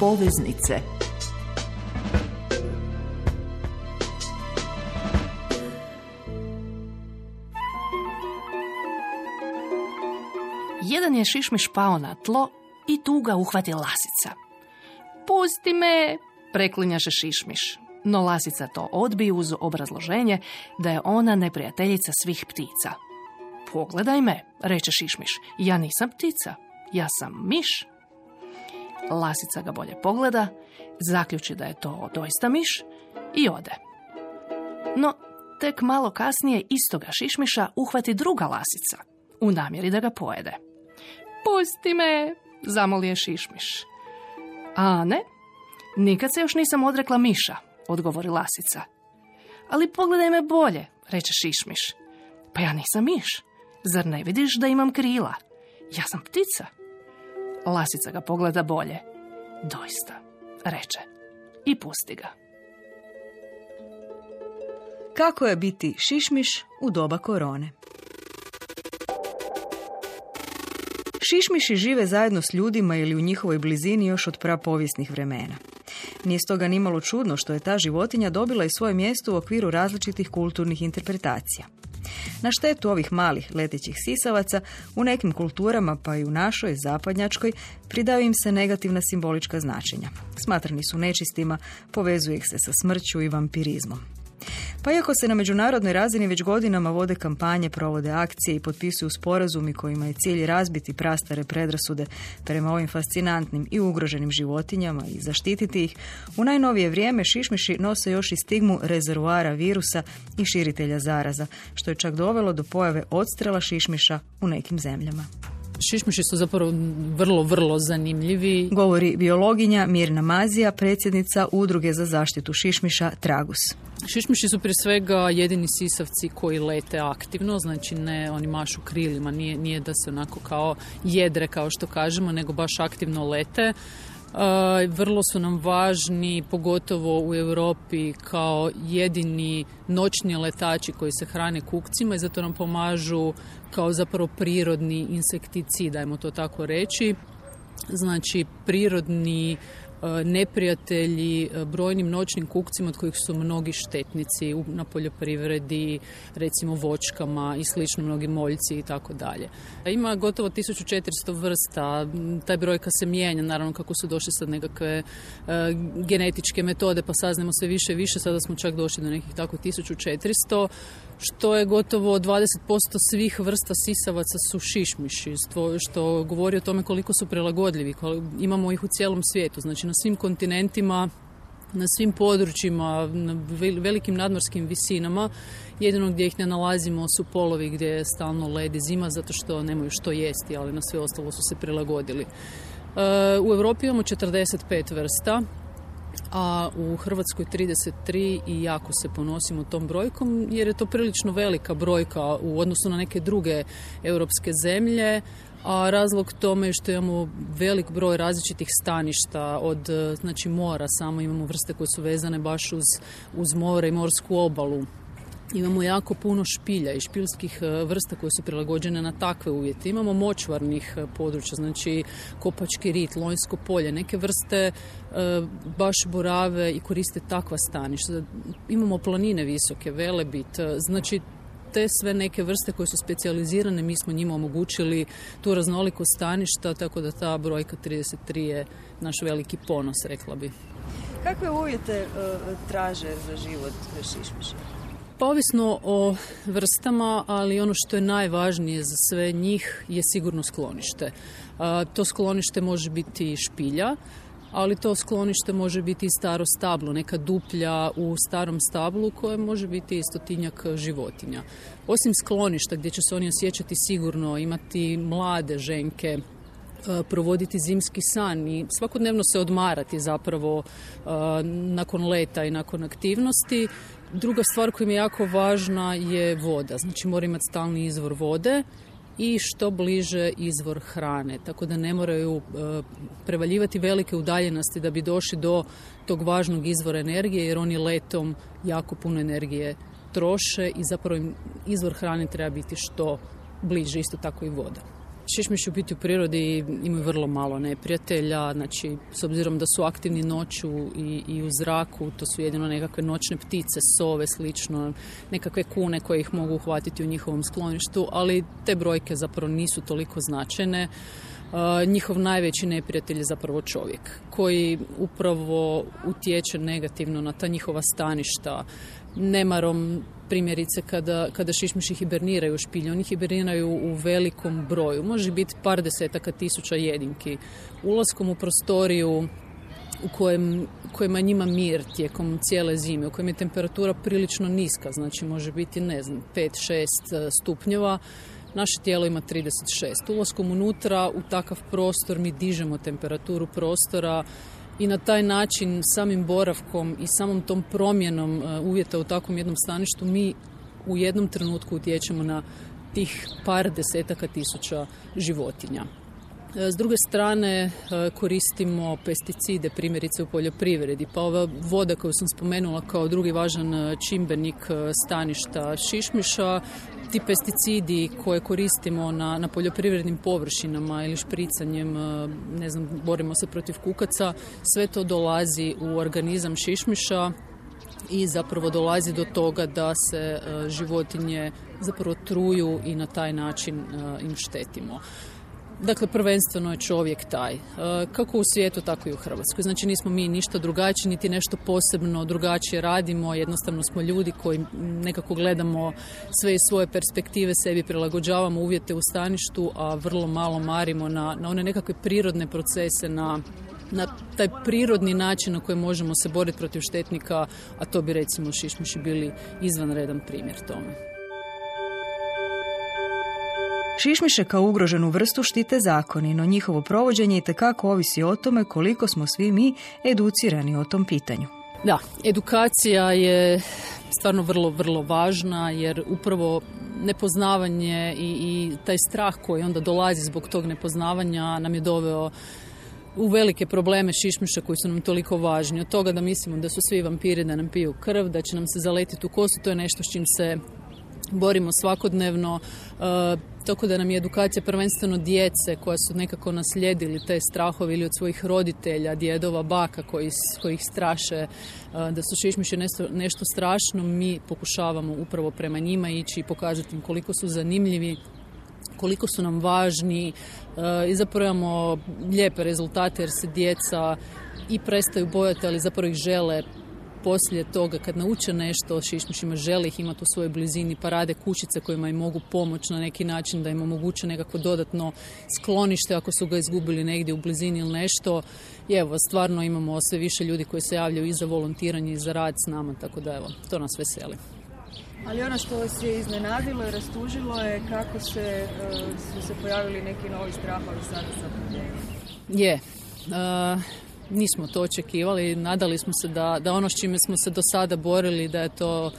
poveznice. Jedan je šišmiš pao na tlo i tu ga uhvati lasica. Pusti me, preklinjaše šišmiš. No lasica to odbije uz obrazloženje da je ona neprijateljica svih ptica. Pogledaj me, reče šišmiš, ja nisam ptica, ja sam miš. Lasica ga bolje pogleda, zaključi da je to doista miš i ode. No, tek malo kasnije istoga šišmiša uhvati druga lasica, u namjeri da ga pojede. Pusti me, zamolije šišmiš. A ne, nikad se još nisam odrekla miša, odgovori lasica. Ali pogledaj me bolje, reče šišmiš. Pa ja nisam miš, zar ne vidiš da imam krila? Ja sam ptica. Lasica ga pogleda bolje. Doista, reče i pusti ga. Kako je biti šišmiš u doba korone? Šišmiši žive zajedno s ljudima ili u njihovoj blizini još od prapovijesnih vremena. Nije stoga nimalo čudno što je ta životinja dobila i svoje mjesto u okviru različitih kulturnih interpretacija. Na štetu ovih malih letećih sisavaca, u nekim kulturama, pa i u našoj, zapadnjačkoj, pridaju im se negativna simbolička značenja. Smatrani su nečistima, povezuje ih se sa smrću i vampirizmom. Pa iako se na međunarodnoj razini već godinama vode kampanje, provode akcije i potpisuju sporazumi kojima je cilj razbiti prastare predrasude prema ovim fascinantnim i ugroženim životinjama i zaštititi ih, u najnovije vrijeme šišmiši nose još i stigmu rezervoara virusa i širitelja zaraza, što je čak dovelo do pojave odstrela šišmiša u nekim zemljama. Šišmiši su zapravo vrlo zanimljivi. Govori biologinja Mirna Mazija, predsjednica Udruge za zaštitu šišmiša Tragus. Šišmiši su prije svega jedini sisavci koji lete aktivno, znači ne oni mašu krilima, nije da se onako kao jedre kao što kažemo, nego baš aktivno lete. Vrlo su nam važni, pogotovo u Europi, kao jedini noćni letači koji se hrane kukcima i zato nam pomažu kao zapravo prirodni insekticid, dajmo to tako reći. Znači prirodni neprijatelji brojnim noćnim kukcima od kojih su mnogi štetnici na poljoprivredi, recimo voćkama i slično, mnogi moljci i tako dalje. Ima gotovo 1400 vrsta, taj brojka se mijenja, naravno kako su došle sad nekakve genetičke metode pa saznamo sve više i više, sada smo čak došli do nekih tako 1400, što je gotovo 20% svih vrsta sisavaca su šišmiši, što govori o tome koliko su prilagodljivi. Imamo ih u cijelom svijetu, znači na svim kontinentima, na svim područjima, na velikim nadmorskim visinama. Jedino gdje ih ne nalazimo su polovi gdje je stalno led i zima zato što nemaju što jesti, ali na sve ostalo su se prilagodili. U Europi imamo 45 vrsta, a u Hrvatskoj 33 i jako se ponosimo tom brojkom jer je to prilično velika brojka u odnosu na neke druge europske zemlje, a razlog tome je što imamo velik broj različitih staništa od znači mora, samo imamo vrste koje su vezane baš uz more i morsku obalu. Imamo jako puno špilja i špiljskih vrsta koje su prilagođene na takve uvjete. Imamo močvarnih područja, znači Kopački rit, Lonjsko polje. Neke vrste baš borave i koriste takva staništa. Imamo planine visoke, Velebit, znači te sve neke vrste koje su specijalizirane, mi smo njima omogućili tu raznolikost staništa, tako da ta brojka 33 je naš veliki ponos, rekla bi. Kakve uvjete traže za život šišmiša? Pa ovisno o vrstama, ali ono što je najvažnije za sve njih je sigurno sklonište. To sklonište može biti špilja, ali to sklonište može biti i staro stablo, neka duplja u starom stablu koje može biti i 100-tinjak životinja. Osim skloništa gdje će se oni osjećati sigurno, imati mlade ženke, provoditi zimski san i svakodnevno se odmarati zapravo nakon leta i nakon aktivnosti. Druga stvar koja mi je jako važna je voda, znači mora imati stalni izvor vode i što bliže izvor hrane, tako da ne moraju prevaljivati velike udaljenosti da bi došli do tog važnog izvora energije, jer oni letom jako puno energije troše i zapravo im izvor hrane treba biti što bliže, isto tako i voda. šišmiši u biti u prirodi imaju vrlo malo neprijatelja, znači s obzirom da su aktivni noću i u zraku, to su jedino nekakve noćne ptice, sove, slično, nekakve kune koje ih mogu uhvatiti u njihovom skloništu, ali te brojke zapravo nisu toliko značajne. Njihov najveći neprijatelj je zapravo čovjek, koji upravo utječe negativno na ta njihova staništa. Nemarom, primjerice, kada šišmiši hiberniraju u špilji, oni hiberniraju u velikom broju, može biti par desetaka tisuća jedinki. Ulaskom u prostoriju u kojima je njima mir tijekom cijele zime, u kojem je temperatura prilično niska, znači može biti, 5-6 stupnjeva, naše tijelo ima 36. Ulaskom unutra u takav prostor mi dižemo temperaturu prostora i na taj način, samim boravkom i samom tom promjenom uvjeta u takvom jednom staništu, mi u jednom trenutku utječemo na tih par desetaka tisuća životinja. S druge strane, koristimo pesticide, primjerice u poljoprivredi, pa ova voda koju sam spomenula kao drugi važan čimbenik staništa šišmiša, ti pesticidi koje koristimo na poljoprivrednim površinama ili špricanjem, borimo se protiv kukaca, sve to dolazi u organizam šišmiša i zapravo dolazi do toga da se životinje zapravo truju i na taj način im štetimo. Dakle, prvenstveno je čovjek taj. Kako u svijetu, tako i u Hrvatskoj. Znači, nismo mi ništa drugačiji, niti nešto posebno drugačije radimo. Jednostavno smo ljudi koji nekako gledamo sve iz svoje perspektive, sebi prilagođavamo uvjete u staništu, a vrlo malo marimo na one nekakve prirodne procese, na taj prirodni način na koji možemo se boriti protiv štetnika, a to bi recimo šišmiši bili izvanredan primjer tome. Šišmiše kao ugroženu vrstu štite zakoni, no njihovo provođenje itekako ovisi o tome koliko smo svi mi educirani o tom pitanju. Da, edukacija je stvarno vrlo, vrlo važna, jer upravo nepoznavanje i taj strah koji onda dolazi zbog tog nepoznavanja nam je doveo u velike probleme šišmiša koji su nam toliko važni. Od toga da mislimo da su svi vampiri, da nam piju krv, da će nam se zaletiti u kosu, to je nešto s čim se borimo svakodnevno, tako da nam je edukacija prvenstveno djece koja su nekako naslijedili te strahove ili od svojih roditelja, djedova, baka koji ih straše da su šišmiši nešto strašno. Mi pokušavamo upravo prema njima ići i pokazati im koliko su zanimljivi, koliko su nam važni i zapravo imamo lijepe rezultate jer se djeca i prestaju bojati, ali zapravo ih žele poslije toga kad nauče nešto o šišmišima, žele ih imati u svojoj blizini, pa rade kućice kojima im mogu pomoći na neki način, da im omoguće nekako dodatno sklonište ako su ga izgubili negdje u blizini ili nešto. I evo, stvarno imamo sve više ljudi koji se javljaju i za volontiranje i za rad s nama, tako da evo, to nas veseli. Ali ono što vas je iznenadilo i rastužilo je kako su se pojavili neki novi strahovi sada sa pandemijom. Nismo to očekivali, nadali smo se da ono s čime smo se do sada borili, da je to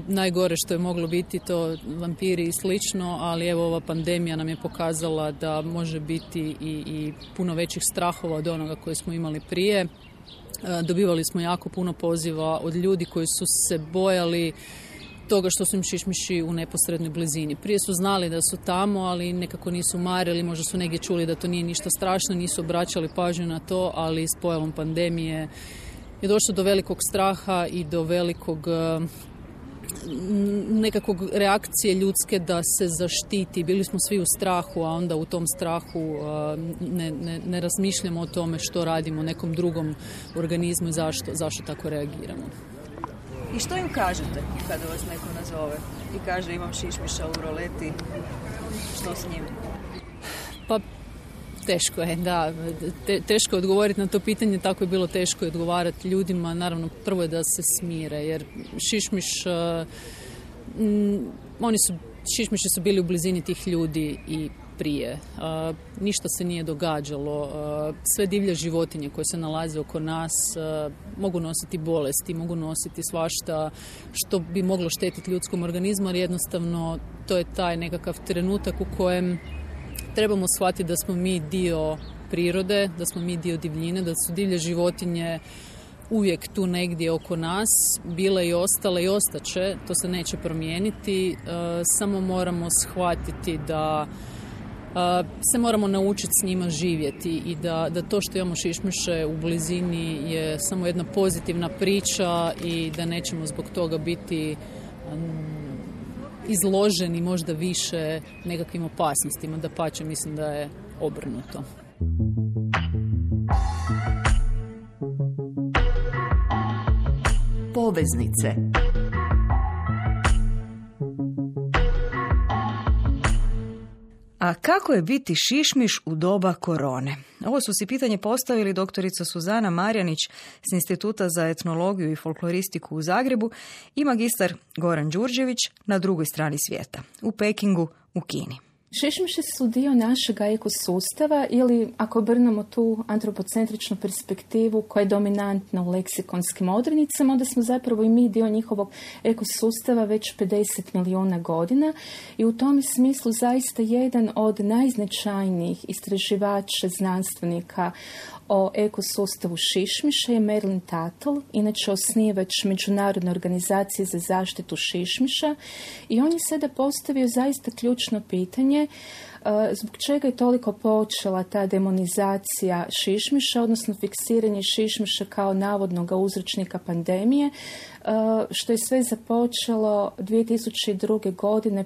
najgore što je moglo biti, to vampiri i slično, ali evo ova pandemija nam je pokazala da može biti i puno većih strahova od onoga koje smo imali prije. Dobivali smo jako puno poziva od ljudi koji su se bojali toga što su im šišmiši u neposrednoj blizini. Prije su znali da su tamo, ali nekako nisu marili, možda su negdje čuli da to nije ništa strašno, nisu obraćali pažnju na to, ali s pojavom pandemije je došlo do velikog straha i do velikog nekakvog reakcije ljudske da se zaštiti. Bili smo svi u strahu, a onda u tom strahu ne razmišljamo o tome što radimo nekom drugom organizmu i zašto tako reagiramo. I što im kažete kada vas neko nazove i kaže imam šišmiša u roleti, što s njim? Pa teško je, da. Teško je odgovoriti na to pitanje, tako je bilo teško odgovarati ljudima. Naravno, prvo je da se smire, jer šišmiši su bili u blizini tih ljudi i prije. Ništa se nije događalo. Sve divlje životinje koje se nalaze oko nas mogu nositi bolesti, mogu nositi svašta što bi moglo štetiti ljudskom organizmu, ali jednostavno to je taj nekakav trenutak u kojem trebamo shvatiti da smo mi dio prirode, da smo mi dio divljine, da su divlje životinje uvijek tu negdje oko nas, bile i ostale i ostaće, to se neće promijeniti, samo moramo shvatiti da se moramo naučiti s njima živjeti i da to što imamo šišmiše u blizini je samo jedna pozitivna priča i da nećemo zbog toga biti izloženi možda više nekakvim opasnostima. Dapače, mislim da je obrnuto. Poveznice. A kako je biti šišmiš u doba korone? Ovo su si pitanje postavili doktorica Suzana Marjanić s Instituta za etnologiju i folkloristiku u Zagrebu i magistar Goran Đurđević na drugoj strani svijeta, u Pekingu, u Kini. Šišmiši su dio našeg ekosustava ili, ako obrnemo tu antropocentričnu perspektivu koja je dominantna u leksikonskim odrednicama, onda smo zapravo i mi dio njihovog ekosustava već 50 milijuna godina i u tom smislu zaista jedan od najznačajnijih istraživača, znanstvenika o ekosustavu šišmiša je Merlin Tuttle, inače osnivač Međunarodne organizacije za zaštitu šišmiša, i on je sada postavio zaista ključno pitanje zbog čega je toliko počela ta demonizacija šišmiša, odnosno fiksiranje šišmiša kao navodnog uzročnika pandemije, što je sve započelo 2002. godine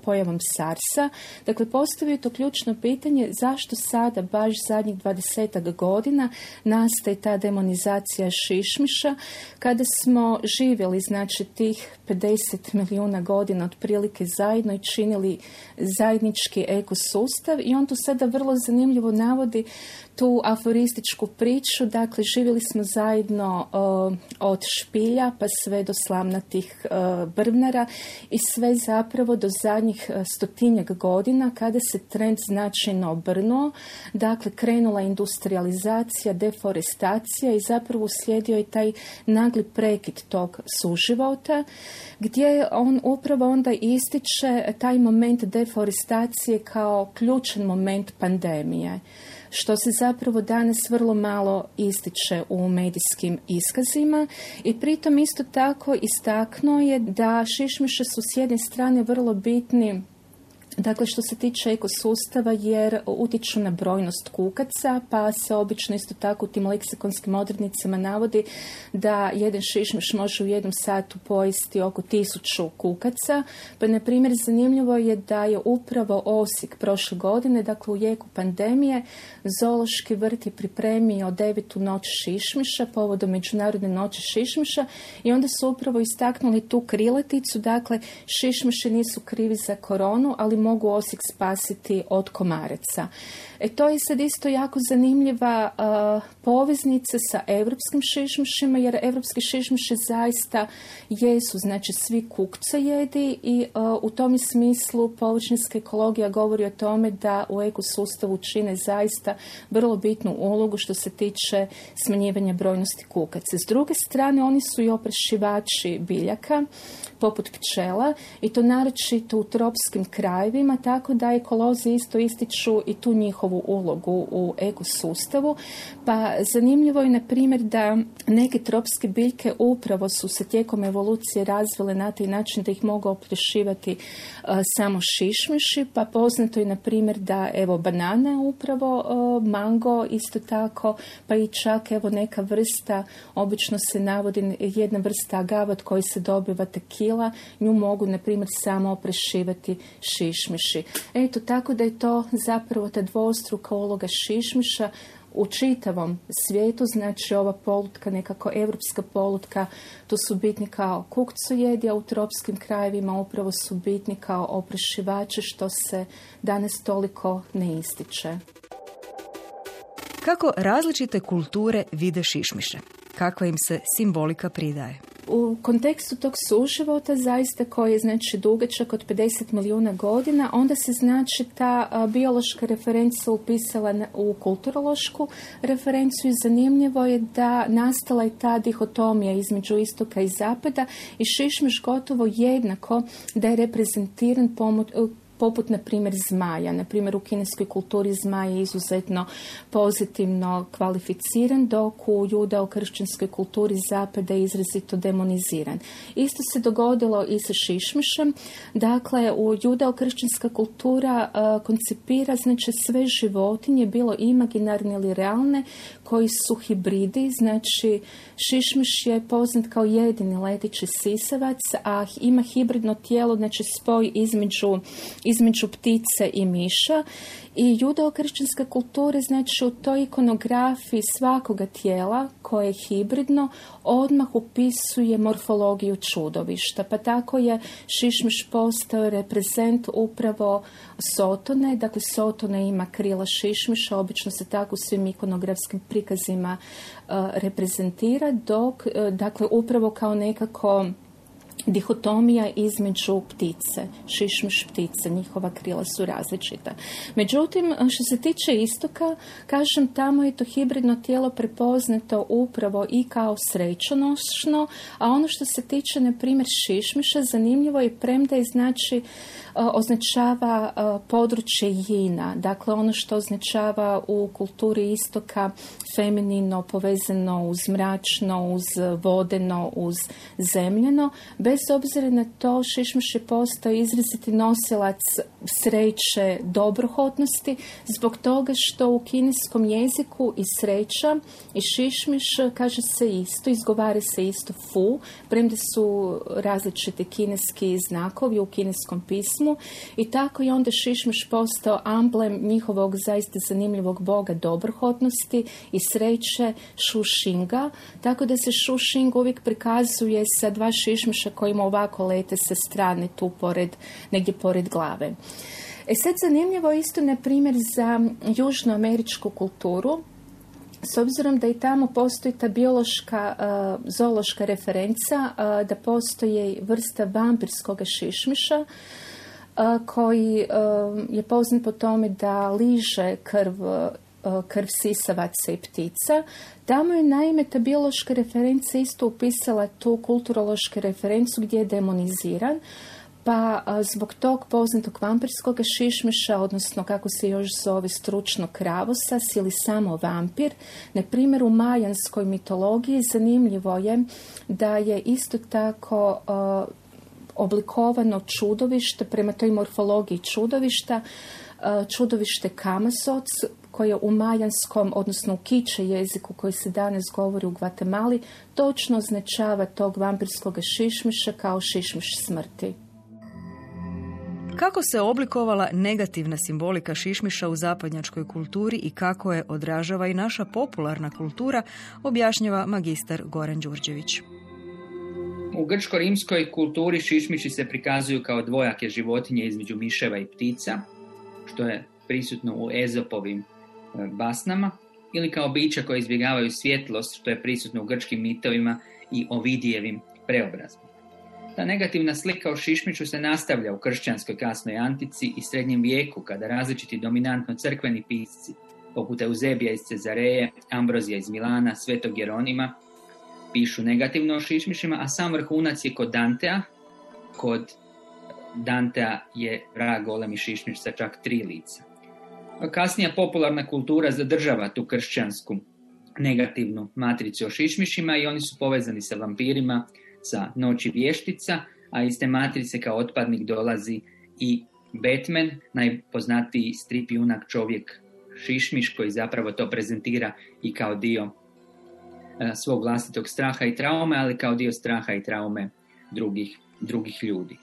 pojavom SARS-a. Dakle, postavio je to ključno pitanje zašto sada, baš zadnjih 20 godina, nastaje ta demonizacija šišmiša, kada smo živjeli, znači, tih 50 milijuna godina otprilike zajedno i činili zajednički ekosustav, i on tu sada vrlo zanimljivo navodi tu aforističku priču. Dakle, živjeli smo zajedno od špilja pa sve do slamnatih brvnara i sve zapravo do zadnjih 100-tinjak godina kada se trend značajno obrnuo. Dakle, krenula industrializacija, deforestacija i zapravo uslijedio je taj nagli prekid tog suživota, gdje on upravo onda ističe taj moment deforestacije kao ključan moment pandemije, što se zapravo danas vrlo malo ističe u medijskim iskazima, i pritom isto tako istaknuo je da šišmiše su s jedne strane vrlo bitni, dakle, što se tiče ekosustava, jer utječu na brojnost kukaca, pa se obično isto tako u tim leksikonskim odrednicama navodi da jedan šišmiš može u jednom satu pojesti oko 1000 kukaca. Pa, na primjer, zanimljivo je da je upravo Osijek prošle godine, dakle u jeku pandemije, zoološki vrt je pripremio 9. noć šišmiša povodom Međunarodne noći šišmiša, i onda su upravo istaknuli tu krilaticu, dakle, šišmiši nisu krivi za koronu, ali mogu Osijek spasiti od komaraca. To je sad isto jako zanimljiva poveznica sa evropskim šišmišima, jer evropski šišmiši zaista jesu, znači, svi kukcojedi, i u tom smislu površinska ekologija govori o tome da u ekosustavu čine zaista vrlo bitnu ulogu što se tiče smanjivanja brojnosti kukaca. S druge strane, oni su i oprašivači biljaka, poput pčela, i to naročito u tropskim krajevima, tako da ekolozi isto ističu i tu njihovu ulogu u ekosustavu. Pa zanimljivo je, na primjer, da neke tropske biljke upravo su se tijekom evolucije razvile na taj način da ih mogu oprašivati samo šišmiši, pa poznato je, na primjer, da banane upravo, mango isto tako, pa i čak neka vrsta, obično se navodi jedna vrsta agave od koje se dobiva tekila, nju mogu, na primjer, samo oprašivati šišmiši. Tako da je to zapravo ta dvostruka uloga šišmiša u čitavom svijetu. Znači, ova polutka, nekako evropska polutka, to su bitni kao kukcojedi, a u tropskim krajevima upravo su bitni kao oprašivači, što se danas toliko ne ističe. Kako različite kulture vide šišmiše? Kakva im se simbolika pridaje? U kontekstu tog suživota, zaista koji je, znači, dugačak od 50 milijuna godina, onda se, znači, ta biološka referenca upisala u kulturološku referenciju, i zanimljivo je da nastala je ta dihotomija između istoka i zapada, i šišmiš gotovo jednako da je reprezentiran poput, na primjer, zmaja. Na primjer, u kineskoj kulturi zmaj je izuzetno pozitivno kvalificiran, dok u judeo-kršćanskoj kulturi zapada je izrazito demoniziran. Isto se dogodilo i sa šišmišem. Dakle, u judeo-kršćanska kultura koncipira, znači, sve životinje, bilo imaginarne ili realne, koji su hibridi. Znači, šišmiš je poznat kao jedini leteći sisavac, a ima hibridno tijelo, znači spoj između ptice i miša. I judeo-kršćanska kultura, znači, u toj ikonografiji svakoga tijela koje je hibridno odmah upisuje morfologiju čudovišta. Pa tako je šišmiš postao reprezent upravo Sotone. Dakle, Sotona ima krila šišmiša, obično se tako u svim ikonografskim prikazima reprezentira, dok, dakle, upravo kao nekako dihotomija između ptice, šišmiš ptice, njihova krila su različita. Međutim, što se tiče istoka, kažem, tamo je to hibridno tijelo prepoznato upravo i kao srećonošno, a ono što se tiče, na primjer, šišmiša, zanimljivo je, premda je, znači, označava područje jina, dakle ono što označava u kulturi istoka feminino, povezano uz mračno, uz vodeno, uz zemljeno. Bez obzira na to, šišmiš je postao izraziti nosilac sreće, dobrohotnosti, zbog toga što u kineskom jeziku i sreća i šišmiš kaže se isto, izgovara se isto fu, premda su različiti kineski znakovi u kineskom pismu, i tako je onda šišmiš postao amblem njihovog zaista zanimljivog boga dobrohotnosti i sreće, Šušinga, tako da se Šušing uvijek prikazuje sa dva šišmiša kojima ovako lete sa strane tu negdje pored glave. Sad zanimljivo isto, na primjer, za južnoameričku kulturu, s obzirom da i tamo postoji ta biološka, zoološka referenca, da postoji vrsta vampirskog šišmiša, koji je poznat po tome da liže krv sisavaca i ptica. Tamo je, naime, ta biološka referenca isto upisala tu kulturološku referencu gdje je demoniziran, pa zbog tog poznatog vampirskog šišmiša, odnosno kako se još zove stručno kravosas ili samo vampir, na primjer u majanskoj mitologiji zanimljivo je da je isto tako oblikovano čudovište prema toj morfologiji čudovišta, čudovište Kamasoc, koje u majanskom, odnosno u kiče jeziku koji se danas govori u Gvatemali, točno označava tog vampirskog šišmiša kao šišmiš smrti. Kako se oblikovala negativna simbolika šišmiša u zapadnjačkoj kulturi i kako je odražava i naša popularna kultura, objašnjava magistar Goran Đurđević. U grčko-rimskoj kulturi šišmiši se prikazuju kao dvojake životinje između miševa i ptica, što je prisutno u Ezopovim basnama, ili kao bića koje izbjegavaju svjetlost, što je prisutno u grčkim mitovima i Ovidijevim preobrazbama. Ta negativna slika o šišmišu se nastavlja u kršćanskoj kasnoj antici i srednjem vijeku, kada različiti dominantno crkveni pisci, poput Euzebija iz Cezareje, Ambrozija iz Milana, Svetog Jeronima, pišu negativno o šišmišima, a sam vrhunac je kod Dantea. Kod Dantea je vrag golemi šišmiš sa čak 3 lica. Kasnija popularna kultura zadržava tu kršćansku negativnu matricu o šišmišima i oni su povezani sa vampirima, sa Noći vještica, a iz te matrice kao otpadnik dolazi i Batman, najpoznatiji strip junak čovjek šišmiš, koji zapravo to prezentira i kao dio svog vlastitog straha i traume, ali kao dio straha i traume drugih ljudi.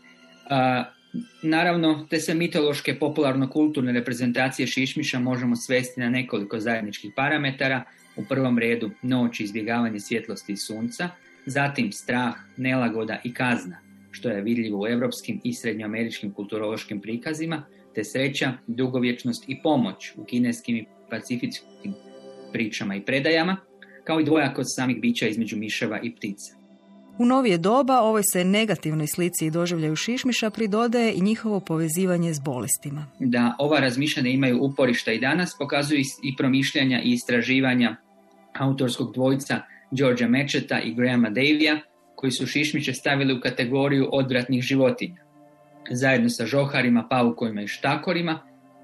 Naravno, te se mitološke popularno-kulturne reprezentacije šišmiša možemo svesti na nekoliko zajedničkih parametara. U prvom redu noć, izbjegavanje svjetlosti i sunca, zatim strah, nelagoda i kazna, što je vidljivo u europskim i srednjoameričkim kulturološkim prikazima, te sreća, dugovječnost i pomoć u kineskim i pacifičkim pričama i predajama, kao i dvojakost samih bića između miševa i ptica. U novije doba ovoj se negativnoj slici i doživljaju šišmiša pridodaje i njihovo povezivanje s bolestima. Da ova razmišljanja imaju uporišta i danas pokazuju i promišljanja i istraživanja autorskog dvojca Georgea Matchetta i Grahama Davija, koji su šišmiše stavili u kategoriju odvratnih životinja. zajedno sa žoharima, paukovima i štakorima,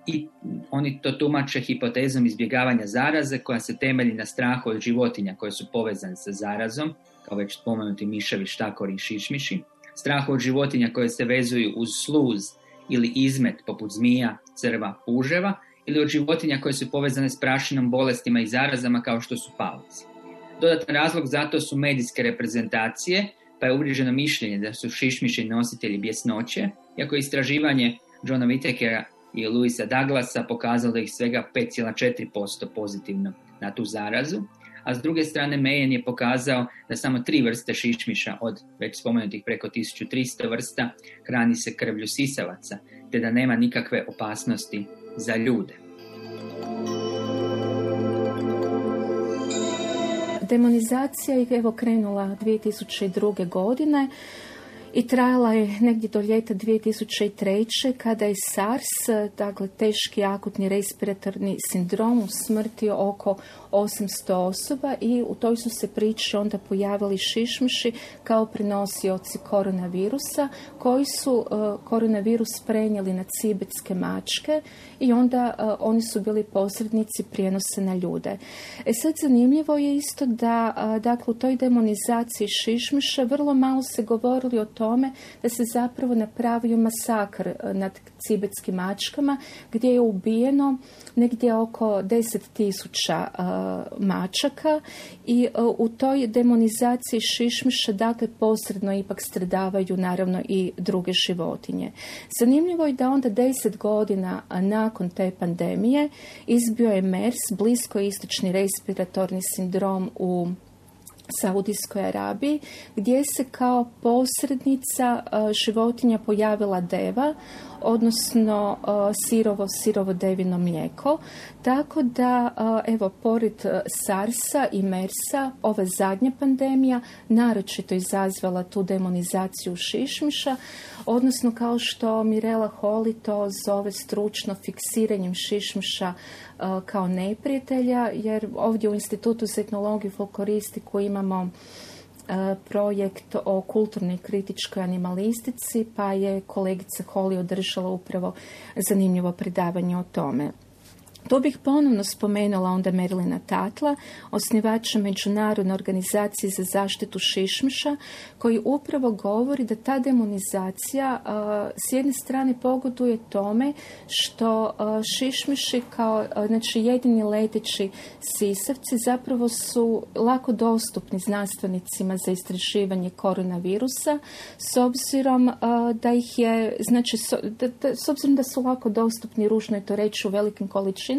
i oni to tumače hipotezom izbjegavanja zaraze koja se temelji na strahu od životinja koje su povezane sa zarazom, kao već spomenuti miševi, štakori i šišmiši, strahu od životinja koje se vezuju uz sluz ili izmet poput zmija, crva, puževa, ili od životinja koje su povezane s prašinom, bolestima i zarazama kao što su pauci. Dodatan razlog za to su medijske reprezentacije, pa je uvriježeno mišljenje da su šišmiši nositelji bjesnoće, iako je istraživanje Johna Whitakera i Louisa Douglasa pokazalo da ih svega 5,4% pozitivno na tu zarazu, a s druge strane Mayen je pokazao da samo 3 vrste šišmiša od već spomenutih preko 1300 vrsta hrani se krvlju sisavaca, te da nema nikakve opasnosti za ljude. Demonizacija je evo krenula 2002. godine i trajala je negdje do ljeta 2003. kada je SARS, dakle teški akutni respiratorni sindrom, usmrtio oko 800 osoba i u toj su se priči onda pojavili šišmiši kao prenosioci koronavirusa koji su koronavirus prenijeli na cibetske mačke i onda oni su bili posrednici prijenosa na ljude. Sad zanimljivo je isto da dakle u toj demonizaciji šišmiša vrlo malo se govorili o tome da se zapravo napravio masakr nad cibetskim mačkama gdje je ubijeno negdje oko 10.000 mačaka i u toj demonizaciji šišmiša dakle posredno ipak stradavaju naravno i druge životinje. Zanimljivo je da onda 10 godina nakon te pandemije izbio je MERS, bliskoistočni respiratorni sindrom u Saudijskoj Arabiji, gdje se kao posrednica životinja pojavila deva, odnosno sirovo devino mlijeko. Tako da, evo, pored SARS-a i MERS-a, ova zadnja pandemija naročito izazvala tu demonizaciju šišmiša, odnosno kao što Mirela Holy to zove stručno fiksiranjem šišmiša kao neprijatelja, jer ovdje u Institutu za etnologiju i folkloristiku imamo projekt o kulturnoj kritičkoj animalistici, pa je kolegica Holy održala upravo zanimljivo predavanje o tome. Tu bih ponovno spomenula onda Merlina Tatla, osnivača Međunarodne organizacije za zaštitu šišmiša, koji upravo govori da ta demonizacija s jedne strane pogoduje tome što šišmiši kao znači jedini leteći sisavci zapravo su lako dostupni znanstvenicima za istraživanje koronavirusa, s obzirom da ih je, znači s obzirom da su lako dostupni, ružno je to reći, u velikim količinama,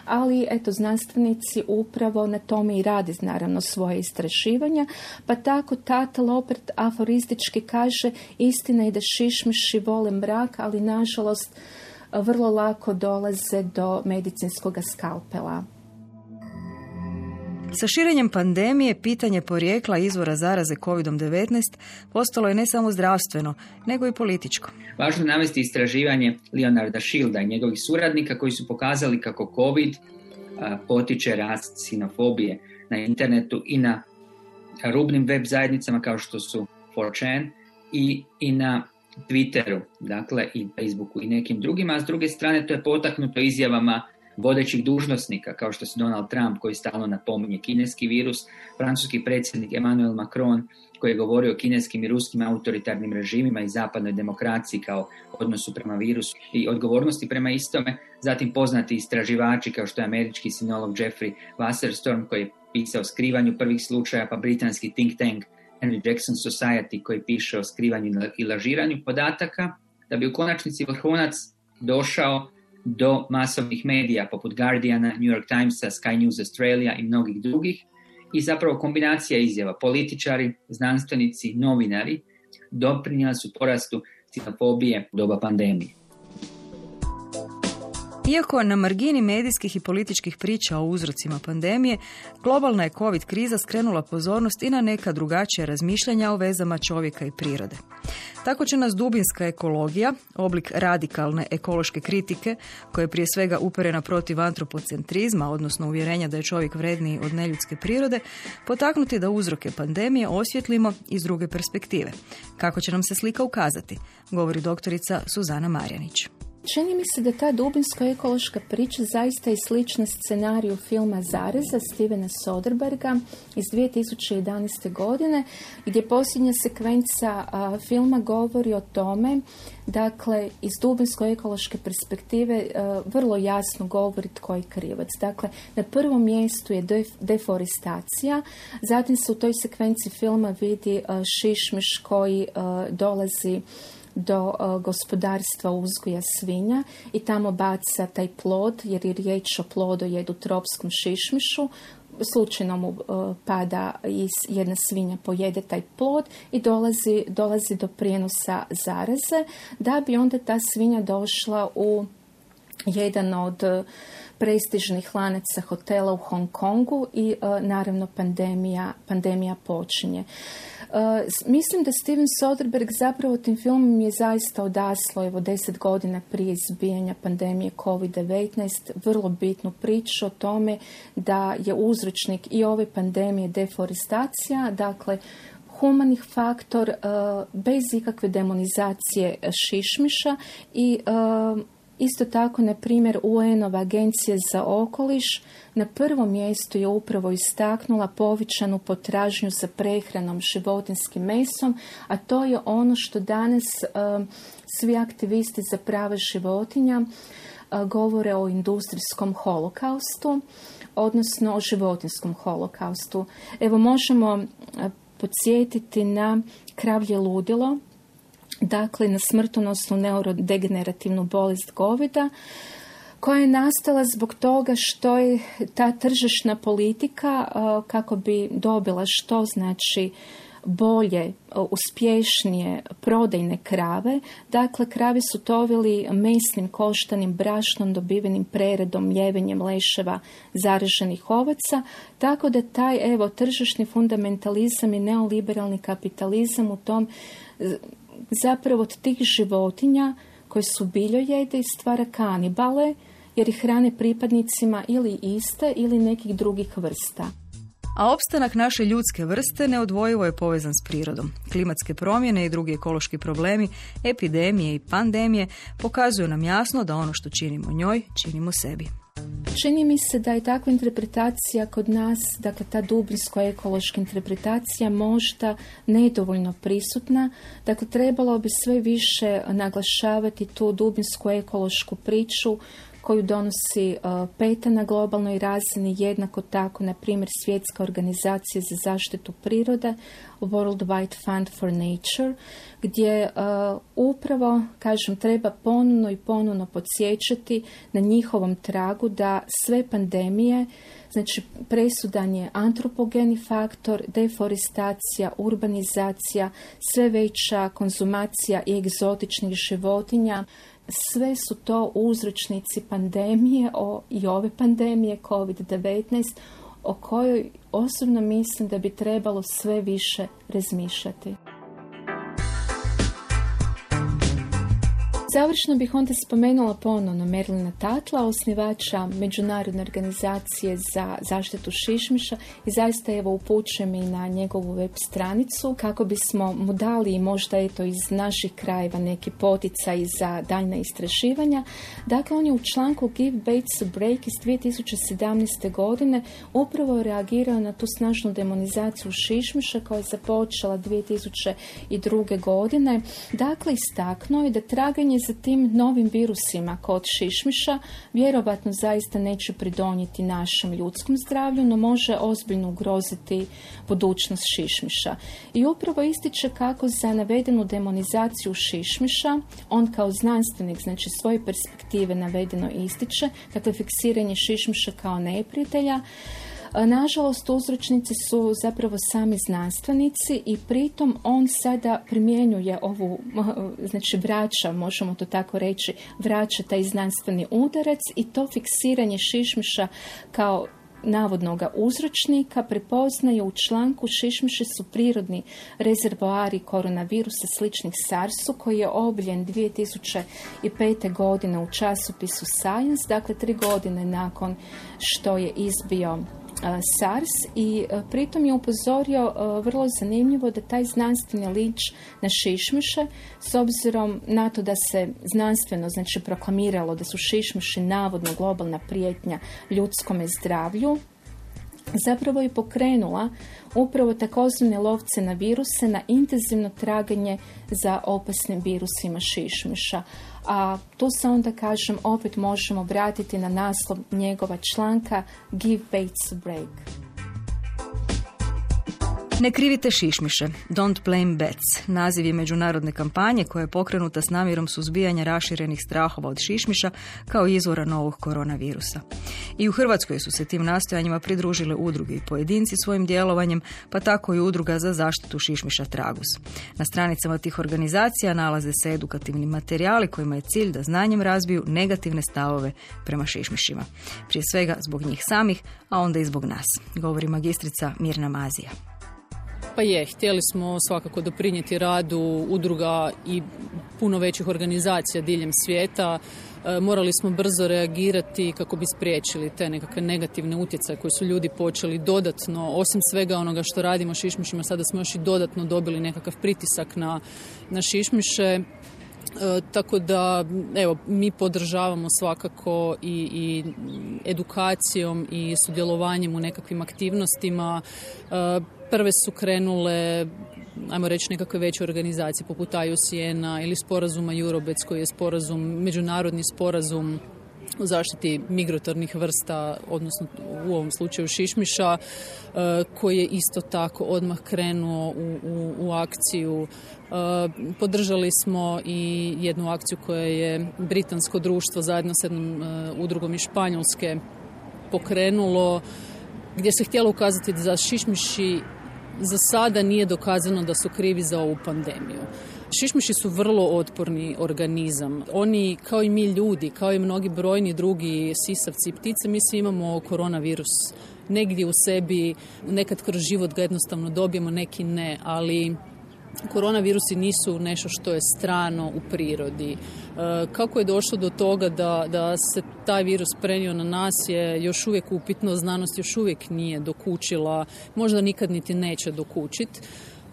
ali eto, znanstvenici upravo na tome i rade naravno svoje istraživanja, pa tako Tatl opet aforistički kaže: istina je da šišmiši vole mrak, ali nažalost vrlo lako dolaze do medicinskog skalpela. Sa širenjem pandemije, pitanje porijekla izvora zaraze COVID-19 postalo je ne samo zdravstveno, nego i političko. Važno je navesti istraživanje Leonarda Shielda i njegovih suradnika koji su pokazali kako COVID potiče rast ksenofobije na internetu i na rubnim web zajednicama kao što su 4chan i na Twitteru, dakle i Facebooku i nekim drugima, a s druge strane to je potaknuto izjavama vodećih dužnosnika kao što su Donald Trump koji stalno napominje kineski virus, francuski predsjednik Emmanuel Macron koji je govorio o kineskim i ruskim autoritarnim režimima i zapadnoj demokraciji kao odnosu prema virusu i odgovornosti prema istome, zatim poznati istraživači kao što je američki sinolog Jeffrey Wasserstorm koji je pisao o skrivanju prvih slučaja, pa britanski think tank Henry Jackson Society koji piše o skrivanju i lažiranju podataka, da bi u konačnici vrhunac došao do masovnih medija poput Guardiana, New York Timesa, Sky News Australia i mnogih drugih, i zapravo kombinacija izjava političari, znanstvenici, novinari doprinijela su porastu ksenofobije u doba pandemije. Iako na margini medijskih i političkih priča o uzrocima pandemije, globalna je COVID kriza skrenula pozornost i na neka drugačija razmišljanja o vezama čovjeka i prirode. Tako će nas dubinska ekologija, oblik radikalne ekološke kritike, koja je prije svega uperena protiv antropocentrizma, odnosno uvjerenja da je čovjek vredniji od neljudske prirode, potaknuti da uzroke pandemije osvjetlimo iz druge perspektive. Kako će nam se slika ukazati, govori doktorica Suzana Marjanić. Čini mi se da ta dubinsko-ekološka priča zaista je slična scenariju filma Zareza Stevena Soderberga iz 2011. godine, gdje posljednja sekvenca filma govori o tome, dakle, iz dubinsko-ekološke perspektive vrlo jasno govori tko je krivac. Dakle, na prvom mjestu je deforestacija, zatim se u toj sekvenciji filma vidi šišmiš koji dolazi do gospodarstva uzgoja svinja i tamo baca taj plod, jer je riječ o plodojedu tropskom šišmišu. Slučajno mu pada i jedna svinja pojede taj plod i dolazi do prijenosa zaraze, da bi onda ta svinja došla u jedan od prestižnih lanaca hotela u Hong Kongu i naravno pandemija počinje. Mislim da Steven Soderbergh zapravo tim filmom je zaista odaslao 10 godina prije izbijanja pandemije COVID-19 vrlo bitnu priču o tome da je uzročnik i ove pandemije deforestacija, dakle humanih faktor bez ikakve demonizacije šišmiša i isto tako, na primjer, UN-ova agencija za okoliš na prvom mjestu je upravo istaknula povećanu potražnju za prehranom životinjskim mesom, a to je ono što danas svi aktivisti za prava životinja govore o industrijskom holokaustu, odnosno o životinjskom holokaustu. Evo, možemo podsjetiti na kravlje ludilo, dakle na smrtonosnu neurodegenerativnu bolest goveda, koja je nastala zbog toga što je ta tržišna politika, kako bi dobila što znači bolje, uspješnije prodajne krave. Dakle, krave su tovili mesnim koštanim brašnom dobivenim preredom, mljevenjem leševa zaraženih ovaca, tako da taj tržišni fundamentalizam i neoliberalni kapitalizam u tom zapravo od tih životinja koje su biljojede stvara kanibale, jer ih hrane pripadnicima ili iste ili nekih drugih vrsta. A opstanak naše ljudske vrste neodvojivo je povezan s prirodom. Klimatske promjene i drugi ekološki problemi, epidemije i pandemije pokazuju nam jasno da ono što činimo njoj, činimo sebi. Čini mi se da je takva interpretacija kod nas, dakle ta dubinsko-ekološka interpretacija možda nedovoljno prisutna. Dakle, trebalo bi sve više naglašavati tu dubinsku-ekološku priču koju donosi PETA na globalnoj razini, jednako tako, na primjer, Svjetska organizacija za zaštitu prirode, World Wide Fund for Nature, gdje upravo, treba ponovno podsjećati na njihovom tragu da sve pandemije, znači presudan je antropogeni faktor, deforestacija, urbanizacija, sve veća konzumacija i egzotičnih životinja, sve su to uzročnici pandemije i ove pandemije COVID-19, o kojoj osobno mislim da bi trebalo sve više razmišljati. Završno bih onda spomenula ponovno Merlina Tatla, osnivača Međunarodne organizacije za zaštitu šišmiša, i zaista upućujem i na njegovu web stranicu kako bismo mu dali možda iz naših krajeva neki poticaj za daljna istraživanja. Dakle, on je u članku Give Baits a Break iz 2017. godine upravo reagirao na tu snažnu demonizaciju šišmiša koja je započela 2002. godine. Dakle, istaknuo je da traganje za tim novim virusima kod šišmiša vjerovatno zaista neće pridonijeti našem ljudskom zdravlju, no može ozbiljno ugroziti budućnost šišmiša. I upravo ističe kako za navedenu demonizaciju šišmiša, on kao znanstvenik, znači svoje perspektive navedeno ističe, dakle fiksiranje šišmiša kao neprijatelja, Nažalost, uzročnici su zapravo sami znanstvenici i pritom on sada primjenjuje ovu, znači vraća, možemo to tako reći, vraća taj znanstveni udarac i to fiksiranje šišmiša kao navodnoga uzročnika prepoznaje u članku šišmiši su prirodni rezervoari koronavirusa sličnih SARS-u koji je objavljen 2005. godine u časopisu Science, dakle 3 godine nakon što je izbio SARS i pritom je upozorio vrlo zanimljivo da taj znanstveni linč na šišmiše, s obzirom na to da se znanstveno znači proklamiralo da su šišmiši navodno globalna prijetnja ljudskome zdravlju, zapravo je pokrenula upravo takozvane lovce na viruse na intenzivno traganje za opasnim virusima šišmiša. A tu se onda, kažem, opet možemo vratiti na naslov njegova članka Give Bates a Break. Ne krivite šišmiše, don't blame bats. Naziv je međunarodne kampanje koja je pokrenuta s namjerom suzbijanja raširenih strahova od šišmiša kao izvora novog koronavirusa. I u Hrvatskoj su se tim nastojanjima pridružile udruge i pojedinci svojim djelovanjem, pa tako i udruga za zaštitu šišmiša Tragus. Na stranicama tih organizacija nalaze se edukativni materijali kojima je cilj da znanjem razbiju negativne stavove prema šišmišima. Prije svega zbog njih samih, a onda i zbog nas, govori magistrica Mirna Mazija. Pa htjeli smo svakako doprinijeti radu udruga i puno većih organizacija diljem svijeta. Morali smo brzo reagirati kako bi spriječili te nekakve negativne utjecaje koje su ljudi počeli dodatno, osim svega onoga što radimo šišmišima, sada smo još i dodatno dobili nekakav pritisak na šišmiše. Tako da, evo, mi podržavamo svakako i edukacijom i sudjelovanjem u nekakvim aktivnostima. Prve su krenule, ajmo reći, nekakve veće organizacije poput IUCN-a ili sporazuma Eurobec koji je međunarodni sporazum o zaštiti migratornih vrsta, odnosno u ovom slučaju šišmiša, koji je isto tako odmah krenuo u akciju. Podržali smo i jednu akciju koja je britansko društvo zajedno s jednom udrugom iz Španjolske pokrenulo, gdje se htjelo ukazati da za šišmiši za sada nije dokazano da su krivi za ovu pandemiju. Šišmiši su vrlo otporni organizam. Oni, kao i mi ljudi, kao i mnogi brojni drugi sisavci i ptice, mi svi imamo koronavirus negdje u sebi, nekad kroz život ga jednostavno dobijemo, neki ne, ali koronavirusi nisu nešto što je strano u prirodi. Kako je došlo do toga da se taj virus prenio na nas je još uvijek upitno, znanost još uvijek nije dokučila, možda nikad niti neće dokučiti.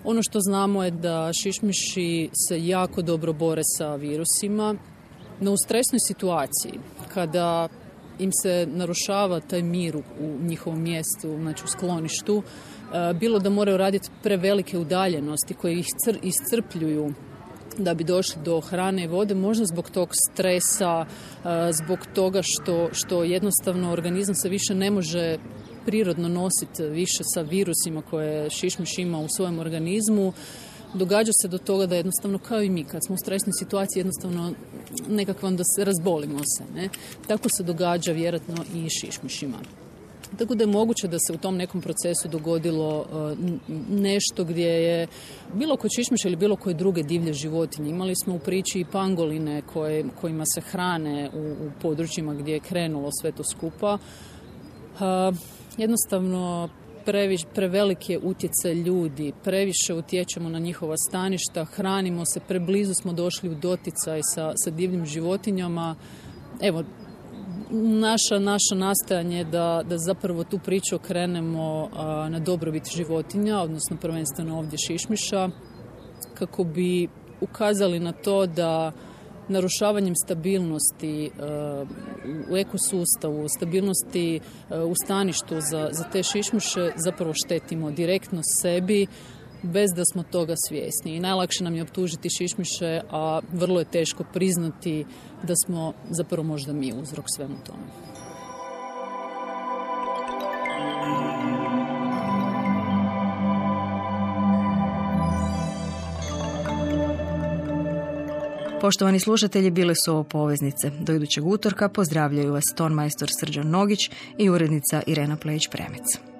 Ono što znamo je da šišmiši se jako dobro bore sa virusima, no u stresnoj situaciji, kada im se narušava taj mir u njihovom mjestu, znači u skloništu, bilo da moraju raditi prevelike udaljenosti koje ih iscrpljuju da bi došli do hrane i vode, možda zbog tog stresa, zbog toga što jednostavno organizam se više ne može prirodno nositi više sa virusima koje šišmiš ima u svojem organizmu. Događa se do toga da jednostavno, kao i mi, kad smo u stresnoj situaciji, jednostavno nekako onda se razbolimo se. Ne? Tako se događa vjerojatno i šišmišima. Tako da je moguće da se u tom nekom procesu dogodilo nešto gdje je bilo kod šišmiša ili bilo koje druge divlje životinje. Imali smo u priči i pangoline kojima se hrane u područjima gdje je krenulo sve to skupa. Jednostavno prevelik je utjecaj ljudi, previše utječemo na njihova staništa, hranimo se, preblizu smo došli u doticaj sa divljim životinjama. Evo, naše nastojanje je da zapravo tu priču okrenemo na dobrobit životinja, odnosno prvenstveno ovdje šišmiša, kako bi ukazali na to da narušavanjem stabilnosti u ekosustavu, stabilnosti u staništu za te šišmiše zapravo štetimo direktno sebi bez da smo toga svjesni. I najlakše nam je optužiti šišmiše, a vrlo je teško priznati da smo zapravo možda mi uzrok svemu tome. Poštovani slušatelji, bile su ovo Poveznice. Do idućeg utorka pozdravljaju vas tonmajstor Srđan Nogić i urednica Irena Plejić-Premec.